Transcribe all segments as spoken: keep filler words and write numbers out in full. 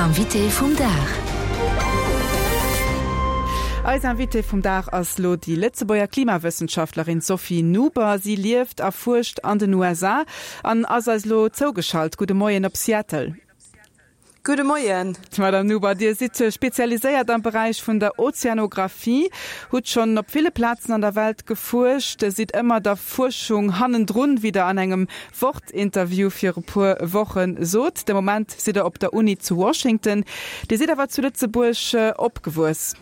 Invité vum Dag. Eis Invitée vum Dag ass lo déi Lëtzebuerger Klimawëssenschaftlerin Sophie Nuber. Si lieft a fuerscht an den U S A an ass eis lo zougeschalt. Gudde Moien op Seattle. Gudde Moien. Madame Nuber, Dir sidd spezialiséiert am Beräich vun der Ozeanographie, hutt schonn op ville Plazen an der Welt gefuerscht, sidd ëmmer der Fuerschung hannendrun, wéi Der an engem Wort-Interview viru puer Woche sot. De Moment sidd Der op der Uni zu Washington. Dir sidd awer zu Lëtzebuerg opgewuess.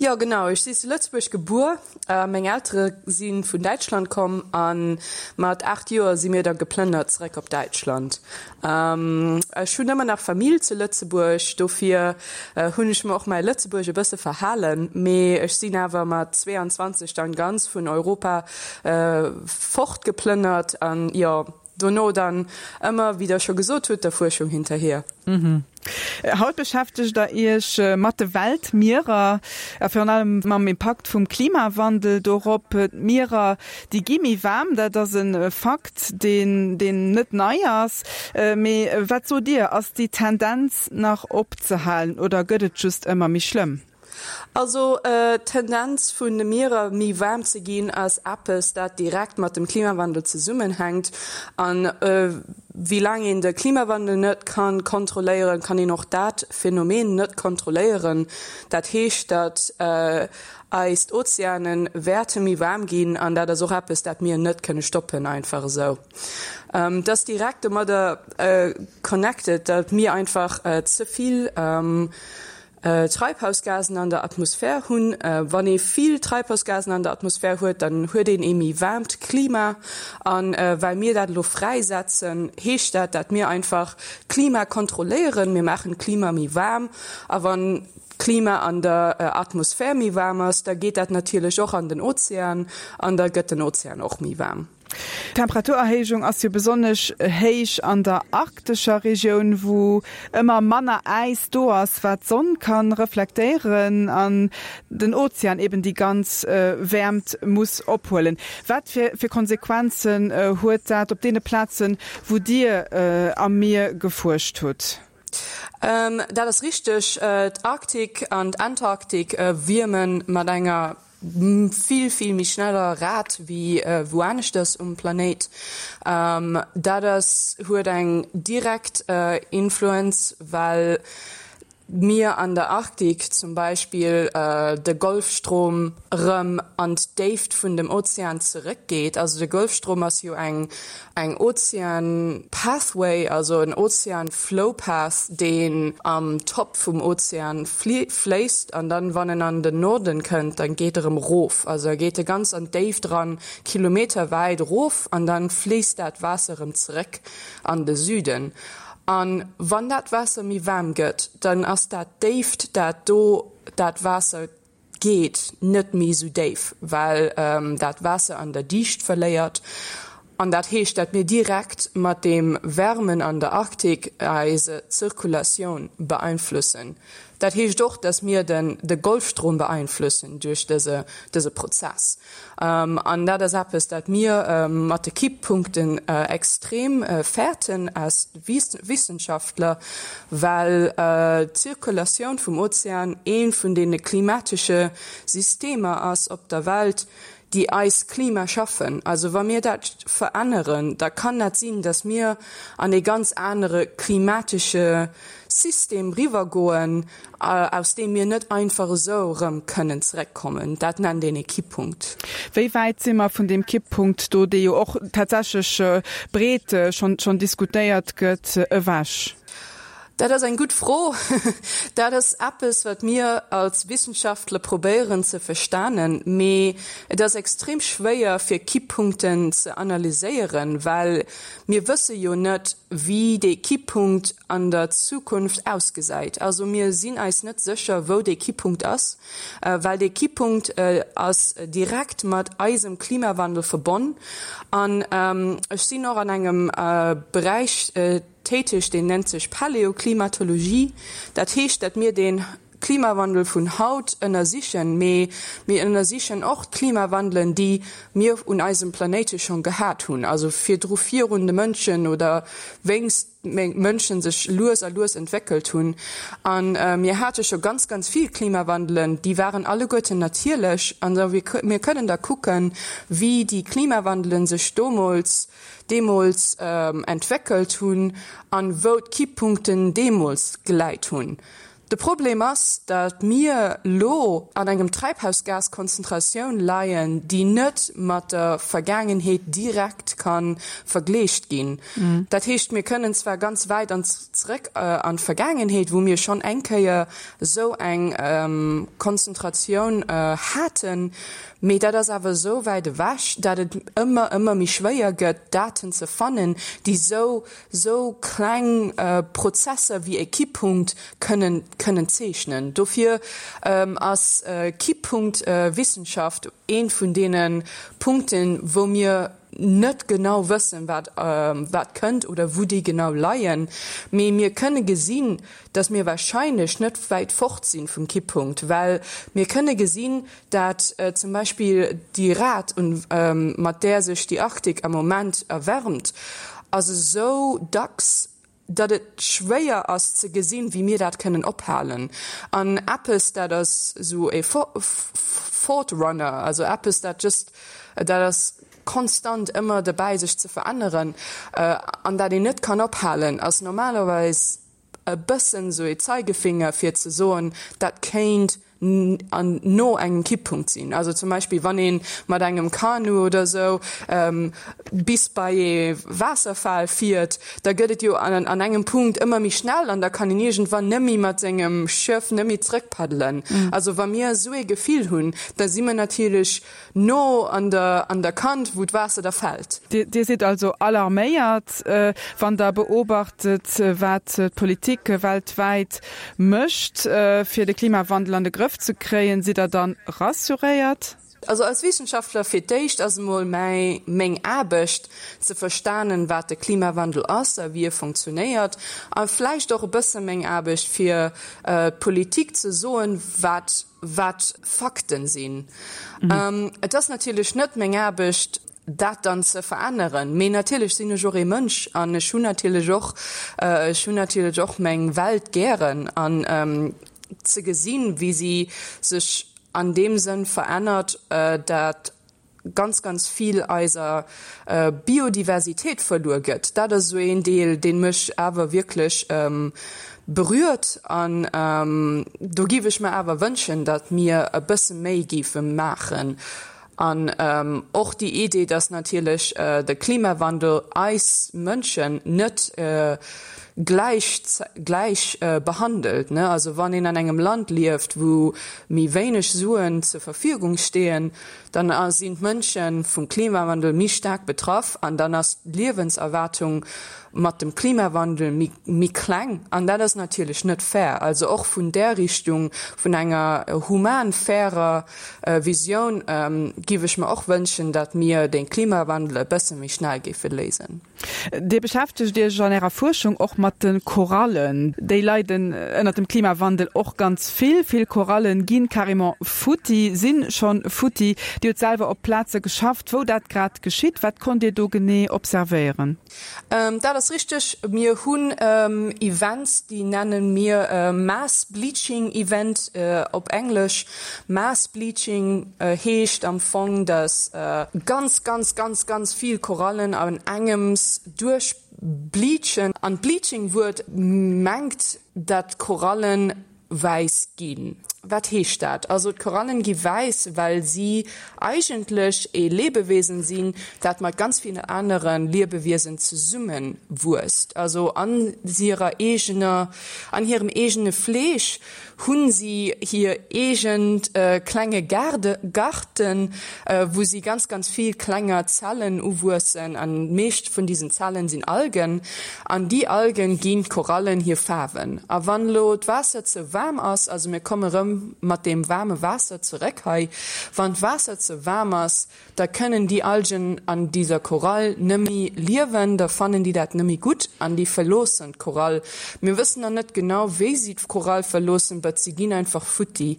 Jo, genau, ech sinn zu Lëtzebuerg gebuer. Äh, meng Eltere si vun Däitschland komm an mat aacht Joer si mir da geplënnert zeréck op Däitschland. Ähm, ech hunn ëmmer nach Famill zu Lëtzebuerg, dofir äh, hunn ech mer och mäi Lëtzebuergesch e bësse verhalen, mee ech sinn awer mat zweeanzwanzeg dann ganz vun Europa äh, fortgeplënnert an jo, dono dann ëmmer, wéi Der scho gesot hutt, der Fuerschung hinterher. Mhm. Haut beschäftegt Der Iech äh, mat de Weltmierer, a virun allem mam Impakt vum Klimawandel dorop. D'Mierer, déi gi méi waarm, dat ass e Fakt, deen, deen net nei ass. Äh, mee wat sot Dir, ass déi Tendenz nach opzehalen oder gëtt et just ëmmer méi schlëmm? Also äh, Tendenz vun de Mierer méi waarm ze ginn ass eppes, dat direkt mat dem Klimawandel zesummenhänkt an äh, wéi laang een de Klimawandel net kann kontrolléieren, kann een och dat Phänomen net kontrolléieren. Dat heescht, dat äh, eis Ozeanen wäerte méi waarm ginn an dat ass och eppes, dat mir net kënne stoppen einfach esou. Ähm, dat direkt domadder äh, connected, dat mir einfach äh, ze vill ähm, äh, Treibhausgasen an der Atmosphär hunn. Äh, wann ee vill Treibhausgasen an der Atmosphär huet, dann huet een e méi waarmt Klima an äh, well mir dat lo fräisetzen, heescht dat, dat mir einfach Klima kontrolléieren, mir maachen Klima méi waarm, a wann Klima an der äh, Atmosphär méi waarm ass, da geet dat natierlech och an den Ozean an da gëtt den Ozean och méi waarm. Temperaturerhéijung ass jo besonnesch héich an der arktescher Regioun, wou ëmmer manner Äis do ass, wat d'Sonn kann reflektéieren an den Ozean eben déi ganz äh, Wäermt muss ophuelen. Wat fir, fir Konsequenzen äh, huet dat op deene Plazen, wou Dir äh, am Mier gefuerscht hutt? Ähm, dat ass richteg, äh, d'Arktik an d'Antarktik äh, wierme mat enger vill vill méi schneller Rat wéi äh, wou aneschters um Planéit. Ähm, dat ass huet eng direkt äh, Influenz, well mir an der Arktik zum Beispill äh, de Golfstrom rëm an d'Déift vun dem Ozean zeréckgeet. Also de Golfstrom ass jo eng eng Ozean Pathway, also en Ozean Flow Path, deen am Top vum Ozean fléisst an dann wann en an den Norden kënnt, dann geet e rëm rof. Also e geet e ganz an d'Déift ran, kilometerwäit rof an dann fléisst dat Waasser rëm zeréck an de Süden. An wann dat Waasser méi waarm gëtt, dann ass dat Déift, dat do dat Waasser geet, net méi sou déif, well ähm, dat Waasser an der Dicht verléiert. An dat heescht, dat mir direkt mat dem Wärmen an der Arktik eis Zirkulatioun beeinflossen. Dat heescht och, dass mir den de Golfstrom beeinflossen duerch dëse dëse Prozess. Ähm, an dat ass eppes, dat mir ähm, mat de Kipppunkten äh, extrem äh, fäerten als Wissenschaftler, well äh, d'Zirkulatioun vum Ozean een vun deene klimatesche Systemer ass op der Welt, déi eist Klima schaffen. Also wa mir dat veränneren, da kann dat sinn, dass mir an e ganz anere klimatesche System riwwergoen, äh, aus deem mir net einfach esou rëm kënnen zeréckkommen. Dat nennt een e Kipppunkt. Wéi wäit si mer vun deem Kipppunkt do, dee jo och tatsächlech äh, breet äh, schonn schonn diskutéiert gëtt, ewech? Dat ass eng gutt Fro. Dat ass eppes, wat mir als Wissenschaftler probéieren ze verstoen, mee et ass extrem schwéier fir Kipppunkten ze analyséieren, well mir wësse jo net, wéi de Kipppunkt an der Zukunft ausgesäit. Also mir sinn eis net sécher, wou de Kipppunkt ass, äh, well de Kipppunkt äh, ass direkt mat eisem Klimawandel verbonn. An ähm, ech sinn och an engem äh, Beräich äh, täteg, deen nennt sech Paläoklimatologie. Dat heescht, dat mir den Klimawandel vun haut ënnersichen, mee mir ënnersichen och d'Klimawandelen, déi mir un eisem Planéite schonn gehat hunn, also virdru virun de Mënschen oder wéinst Mënschen sech lues a lues entwéckelt hunn. A mir hate scho ganz, ganz vill Klimawandelen, déi waren alleguerten natierlech. An mir kënnen da kucken, wéi déi Klimawandelen sech domols, deemools entwéckelt hunn an wou d'Kipppunkten deemools geläit hunn. De Problem ass, datt mir lo an engem Treibhausgaskonzentratioun leien, déi net mat der Vergaangenheet direkt ka vergleecht ginn. Dat heescht, mir kënnen zwar ganz wäit an zréck an d'Vergaangenheet, wou mir schonn eng Kéier esou eng Konzentratioun haten, mee dat ass awer esou wäit ewech, datt et ëmmer, ëmmer méi schwéier gëtt, Daten ze fannen, déi esou, esou kleng Prozesser wéi e Kipppunkt kënnen kënnen zeechnen. Dofir ass Kipppunktwissenschaft eent vun deene Punkten, wou mir net genau wëssen, wat wat kënnt oder wou déi genau leien. Mee mir kënne gesinn, datt mir wahrscheinlech net wäit fort sinn vum Kipppunkt, well mir kënne gesinn, dat zum Beispill déi Rat, mat där sech déi Arktik am Moment erwärmt, ass esou dacks, datt et schwéier ass ze gesinn, wéi mir dat kënnen ophalen. An eppes, dat ass esou e Fortrunner, also eppes, dat just, dat ass konstant ëmmer dobäi sech ze veränneren an dat een net kann ophalen, ass normalerweis e bëssen esou e Zeigefinger fir ze soen, dat kéint an no engem Kipppunkt sinn. Also zum Beispill wann ee mat engem Kanu oder esou bis bei ee Waasserfal fiert, da gëtt et jo an an engem Punkt ëmmer méi schnell an da kann een iergendwann nëmmi mat sengem Schëff nëmmi zrëckpaddelen. Also wa mir esou ee Gefill hunn, da si mer natierlech no an der an der Kant, wou d'Waasser da fält. Dir sidd also alarméiert, wann Der beobachtet, wat d'Politik weltwäit mécht, fir de Klimawandel an de Grëff ze kréien. Sidd Der dann rassuréiert? Also als Wissenschaftler fir d'éischt ass emol mäi meng Aarbecht ze verstanen, wat de Klimawandel ass a wéi e funktionéiert a vläicht och e bësse meng Aarbecht fir d'Politik ze soen, wat wat Fakten sinn. Et ass natierlech net meng Aarbecht, dat dann ze veränneren, mee natierlech sinn ech och ee Mënsch an ech hunn natierlech och, ech hunn natierlech och meng Welt gären an ze gesinn, wéi si sech an deem Sënn verännert, dat ganz, ganz vill eiser Biodiversitéit verluer gëtt, dat ass esou een Deel, dee mech awer wierklech berührt. An do géif ech mer awer wënschen, datt mir e bësse méi géife maachen. An och déi Idee, datt natierlech de Klimawandel eis Mënschen net gläich gläich behandelt, ne. Also wann een an engem Land lieft, wou méi wéineg Suen zur Verfügung steeën, dann sinn d'Mënsche vum Klimawandel méi staark betraff an dann ass d'Liewenserwaartung mat dem Klimawandel méi méi kleng. An dat ass natierlech net fair. Also och vun där Richtung, vun enger human fairer Visioun, giff ech mer och wënschen, datt mir de Klimawandel e bësse méi schnell géife léisen. Dir beschäftegt Iech an Ärer Fuerschung och mat de Korallen. Déi leiden ënnert dem Klimawandel och ganz vill. Vill Korallen gi carrément futti, si schonn futti. Dir hutt selwer op Plaze geschafft, wou dat grad geschitt. Wat konnt Dir do genee observéieren? Dat ass richteg. Mir hunn Events, déi nenne mir Mass Bleaching Event op Englesch. Mass Bleaching heescht am Fong, datt ganz, ganz, ganz, ganz vill Korallen an engems duerchbleachen. An d'Bleaching-Wuert mengt, datt d'Korallen wäiss ginn. Wat heescht dat? Also d'Korallen gi wäiss, well si eigentlech ee Lebewesen sinn, dat mat ganz villen anere Liebewiesen zesumme wuesst. Also an hirer eegener, an hirem eegene Fleesch hunn si hir eegent klenge Gaarde, Garten, wou si ganz, ganz vill klenger Zellen uwuessen. An d'meescht vun diesen Zellen sinn Algen. An déi Algen ginn d'Korallen hir Faarwen. A wann elo d'Waasser ze waarm ass, also mir komme rëm erëm mat deem waarme Waasser zeréck hei. Wann d'Waasser ze waarm ass, da kënnen déi Algen an dieser Korall nëmmi liewen, da fannen déi dat nëmmi gutt an déi verloossen d'Korall. Mir wëssen nach net genau, wéi si d'Korall verloossen, but si ginn einfach futti.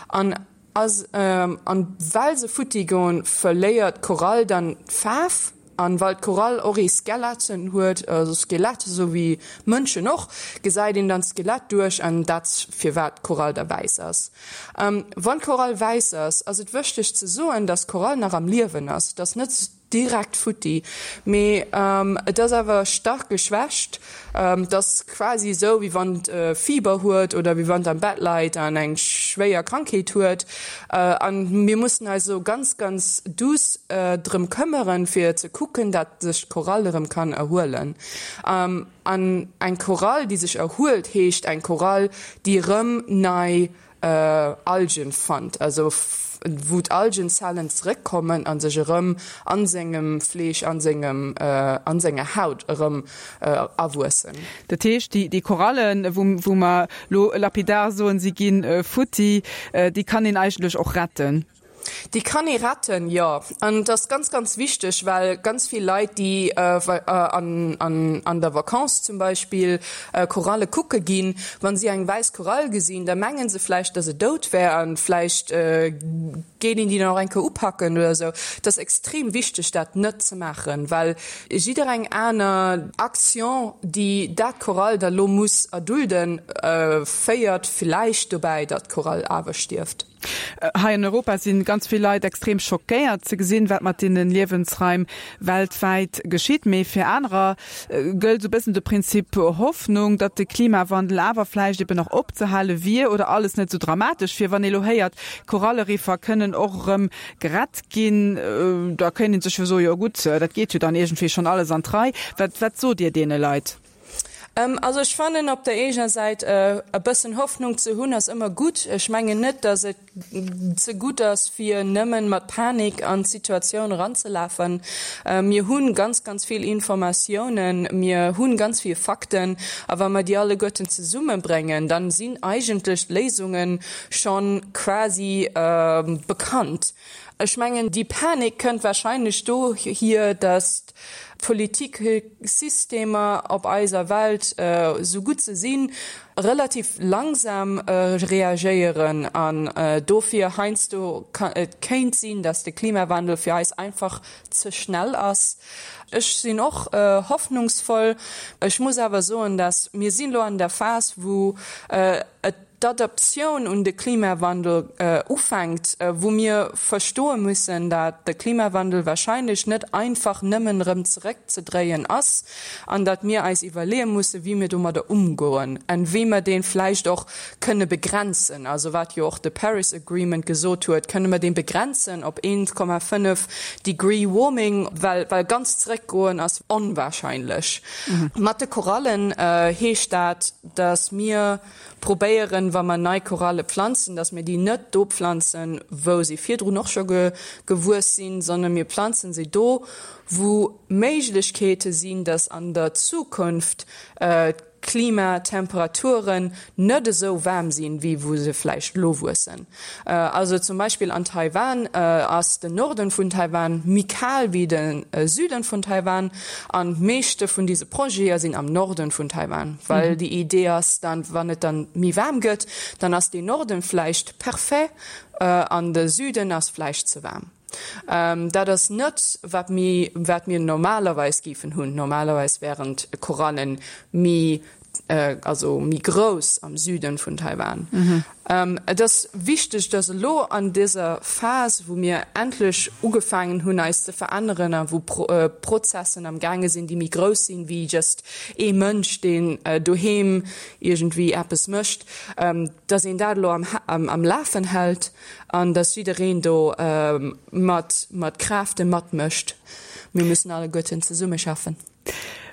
An ass, an well se futti goen, verléiert d'Korall dann d'Faarf. An well d'Korall och ee Skeletten huet, also Skelett, esou wéi Mënschen och, gesäit een dann d'Skelett duerch an dat firwat d'Korall da wäiss ass. Wann d'Korall wäiss ass, ass et wëchteg ze soen, dass d'Korall nach am Liewen ass, et ass net direkt futti, mee et ass awer stark geschwächt. Et ass quasi esou, wéi wann et Fiber huet oder wéi wann et am Bett leit an eng schwéier Krankheet huet. An mir mussen eis elo ganz, ganz duuss drëm këmmeren, fir ze kucken, dat sech d'Korall erëm kann erhuelen. An eng Korall, déi sech erhuelt, heescht eng Korall, déi erëm nei Algen fannt, also wou d'Algenzellen zeréckkommen a sech erëm a sengem Fleesch, a sengem, a senger Haut erëm awuessen. Dat heescht, déi Korallen, wou mer elo lapidar soen, si gi futti, déi kann een eigentlech och retten? Déi kann ee retten, jo. An et ass ganz, ganz wichteg, well ganz vill Leit, déi an der Vakanz zum Beispill Koralle kucke ginn, wa si eng wäiss Korall gesinn, da menge se vläicht, datt se dout wär a vläicht geet een déi dann och eng Kéier upacken oder esou. Et ass extrem wichteg, dat net ze maachen, well jiddereng aner Action, déi dat Korall da lo muss erdulden, féiert vläicht dobäi, datt d'Korall awer stierft. Hei an Europa si ganz vill Leit extrem schockéiert ze gesinn, wat mat deene Liewensraim weltwäit geschitt. Mee fir anerer gëllt esou e bëssen de Prinzip Hoffnung, datt de Klimawandel awer vläicht eben nach opzehale wier oder alles net esou dramatesch wier. Wann ee lo héiert, Koralleriffer kënnen och erëm gerett ginn, da kéint ee sech jo soen, jo gutt, dat geet jo dann iergendwéi schonn alles an d'Rei. Wat, wat sot Dir deene Leit? Also ech fannen op der eegener Säit e bëssen Hoffnung ze hunn ass ëmmer gutt. Ech mengen net, datt et ze gutt ass fir nëmmen mat Panik an d'Situatioun eranzelafen. Mir hunn ganz, ganz vill Informatiounen, mir hunn ganz vill Fakten a wa mer déi alleguerten zesummebréngen, dann sinn eigentlech d'Léisungen schonn quasi bekannt. Ech mengen, déi Panik kënnt wahrscheinlech dohier, datt d'Politiksystemer op eiser Welt, esou gutt se sinn, relativ langsam reagéieren an dofir heiansdo et kéint sinn, datt de Klimawandel fir eis einfach ze schnell ass. Ech sinn och hoffnungsvoll. Ech muss awer soen, datt mir sinn elo an der Phas, wou et d'Adaptioun un de Klimawandel ufänkt, wou mir verstoe mussen, dat de Klimawandel wahrscheinlech net einfach nëmmen erëm zeréckzedréien ass an dat mir eis iwwerleeë mussen, wéi mir domadder umgoen an wéi mer dee vläicht och kënne begrenzen. Also wat jo och de Paris Agreement gesot huet, kënne mer dee begrenzen op eent Komma fënnef Degree Warming, well well ganz zeréckgoen ass onwahrscheinlech. Mat de Korallen heescht dat, datt mir probéieren, wa mer nei Koralle pflanzen, dass mir déi net do pflanzen, wou se virdrun och scho gewuess sinn, sondern mir pflanzen se do, wou Méiglechkeete sinn, dass an der Zukunft d'Klimatemperaturen net esou waarm sinn, wéi wou se vläicht elo wuessen. Also zum Beispill an Taiwan ass den Norden vun Taiwan méi kal wéi de Süden vun Taiwan an d'meeschte vun dise Projete sinn am Norden vun Taiwan, well déi Idee ass dann, wann et dann méi waarm gëtt, dann ass deen Norden vläicht parfait an de Süden ass vläicht ze waarm. Dat ass net wat mir wat mir normalerweis géifen hunn. Normalerweis wären d'Korallen méi also méi grouss am Süden vun Taiwan. Et ass wichteg, dass elo an dëser Phas, wou mir endlech ugefaangen hunn eis ze veränneren a wou Prozessen am gaange sinn, déi méi grouss sinn wéi just ee Mënsch, deen doheem iergendwéi eppes mécht, dass een dat elo am Lafen hält an dass jiddereen do mat mat Kräfte matmécht. Mir müssen alleguerten zesummeschaffen.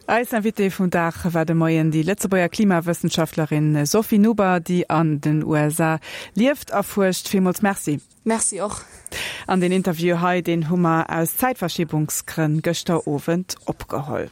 Eis Invitée vum Dag war de Moien déi Lëtzebuerger Klimawëssenschaftlerin Sophie Nuber, déi an den U S A lieft a fuerscht. Villmools Merci. Merci och. An deen Interview hei, deen hu mer aus Zäitverschiebungsgrënn gëschter Owend opgeholl.